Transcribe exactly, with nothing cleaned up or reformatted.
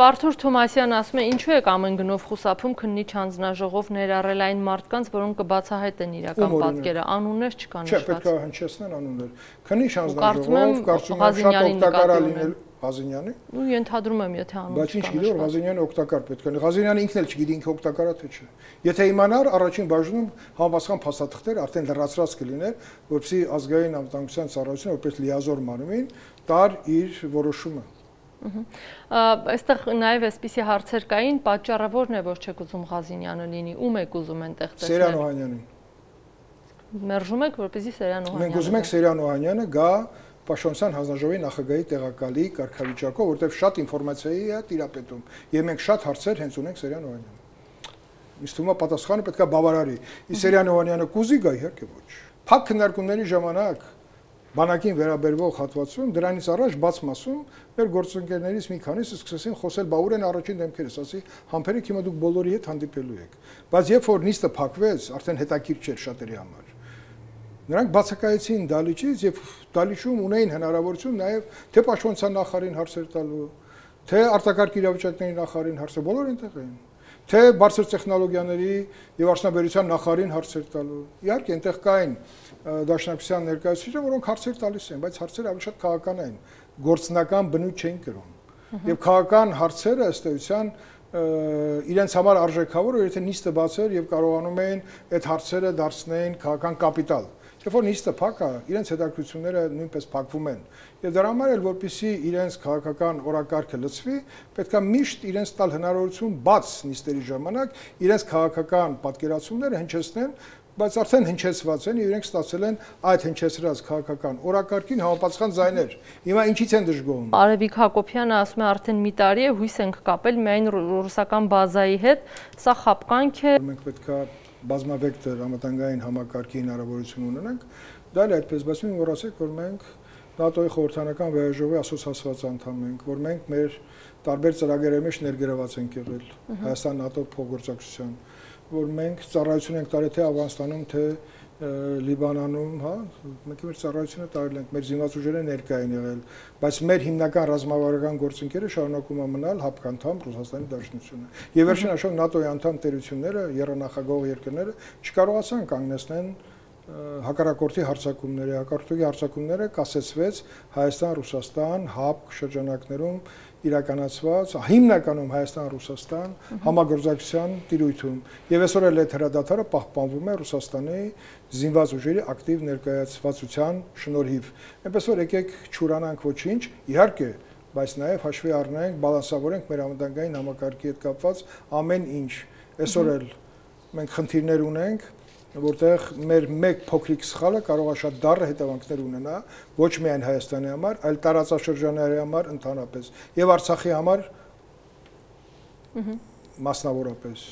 Արթուր Թոմասյանն ասում է, ինչու եք ամեն գնով խուսափում քննիչ հանձնաժողով ներառել այն մարդկանց, որոնք կբացահայտեն իրական պատկերը, անուններ չկան նշված։ Չէ, պետք է հնչեցնեն անուններ։ Քննիչ հանձնաժողով, կարծում եմ շատ օգտակար է լինել Ղազենյանի։ Ու ենթադրում եմ, եթե անուն չկա։ Բայց ինչ գիտի, որ Ղազենյանը օգտակար պետք է լինի։ Ղազենյանը ինքն էլ չգիտի ինքը օգտակար է թե չէ։ Եթե իմանար, առաջին բաժնում համապատասխան փաստաթղթեր արդեն լրացրած կլիներ, որպեսզի ազգային անվտանգության ծառայությունը որպես լիազոր մարմին տար իր որոշումը։ Այստեղ նաև այսպիսի հարցեր կային, պատճառը ո՞րն է, որ չեք ուզում Ղազենյանը լինի, ում եք ուզում այնտեղ տեսնել։ Սերյան Օհանյանին։ Մերժում եք, որպեսզի Սերյան Օհանյանը։ Մենք ուզում ենք Սերյան Օհանյանը գա Պաշտպանության հանձնաժողովի նախագահի տեղակալի կարգավիճակով, որտեղ շատ ինֆորմացիայի է տիրապետում, եւ մենք շատ հարցեր հենց ունենք Սերյան Օհանյանին։ Իսկ թվում է պատասխանը պետք է բավարարի։ Իսկ Սերյան Օհանյանը կուզի գա, իհարկե ոչ։ Փակ քննարկումների ժամանակ բանակին վերաբերվող հատվածում դրանից առաջ բաց մասում մեր գործընկերներից մի քանիսը սկսեցին խոսել, բա ուր են առաջին դեմքերս, ասի համբերեք հիմա դուք բոլորի հետ հանդիպելու եք։ Բայց երբ որ նիստը փակվեց, արդեն հետաքրքիր չէր շատերի համար։ Նրանք բացակայեցին դալիճից եւ դալիճում ունեին հնարավորություն նաեւ թե պաշտպանության նախարարին հարցեր տալու, թե արտակարգ իրավիճակների նախարարին հարցեր, բոլորը այնտեղ էին, թե բարձր տեխնոլոգիաների եւ արդյունաբերության նախարարին հարցեր տալու։ Իհարկե այնտեղ կային դաշնակցության ներկայացուցիչներ, որոնք հարցեր տալիս են, բայց հարցերը ավելի շատ քաղաքական են, գործնական բնույթ չէին կրում։ Եվ քաղաքական հարցերը ըստ էության իրենց համար արժեքավոր էր, եթե նիստը բաց էր եւ կարողանում էին այդ հարցերը դարձնել քաղաքական կապիտալ։ Երբ որ նիստը փակ է, իրենց հետաքրքրությունները նույնպես փակվում են։ Եվ դրա համար էլ որպեսզի իրենց քաղաքական օրակարգը լցվի, պետք է միշտ իրենց տալ հնարավորություն բաց նիստերի ժամանակ իրենց քաղաքական պատկերացումները հնչեցնեն, բայց արդեն հնչեցված են եւ իրենք ստացել են այդ հնչեցրած քաղաքական օրակարգին համապատասխան ձայներ։ Հիմա ինչից են դժգոհում։ Արևիկ Հակոբյանը ասում է, արդեն մի տարի է հույս ենք կապել միայն ռուսական բազայի հետ, սա խապկանք է։ Մենք պետք է բազմավեկտոր անվտանգային համակարգի հնարավորություն ունենանք, դա էլ այդպես, բայց μην մոռացեք, որ մենք ՆԱՏՕ-ի խորհրդանական վեհաժողովի ասոցիացված անդամ ենք, որ մենք մեր տարբեր ծրագրերի մեջ ներգրաված ենք եղել Հայաստան-ՆԱՏՕ փոխգործակցության, որ մենք ծառայություն ենք տարել թե Աֆղանստանում, թե Լիբանանում, հա, մենք մեր ծառայությունը տարել ենք, մեր զինված ուժերը ներկա են եղել, բայց մեր հիմնական ռազմավարական գործընկերը շարունակում է մնալ հապկանդամ Ռուսաստանի Դաշնությունը։ Եվ վերջին հաշվով ՆԱՏՕ-ի անդամ տերությունները, եռանախագահող երկրները չկարողացան կանգնեցնել հակառակորդի հարձակումները, հակառակորդի հարձակումները կասեցվեց Հայաստան-Ռուսաստան հապկ շրջանակներում իրականացված հիմնականում Հայաստան-Ռուսաստան համագործակցության տիրույթում եւ այսօր էլ այդ հրադադարը պահպանվում է Ռուսաստանի զինված ուժերի ակտիվ ներկայացվածության շնորհիվ։ Այնպես որ եկեք չուրանանք ոչինչ, իհարկե, բայց նաեւ հաշվի առնենք, բալանսավորենք մեր անվտանգային համակարգի հետ կապված ամեն ինչ։ Այսօր էլ մենք խնդիրներ ունենք, որտեղ մեր մեկ փոքրիկ սխալը կարող է շատ դառը հետևանքներ ունենա ոչ միայն Հայաստանի համար, այլ տարածաշրջանների համար ընդհանրապես եւ Արցախի համար մասնավորապես։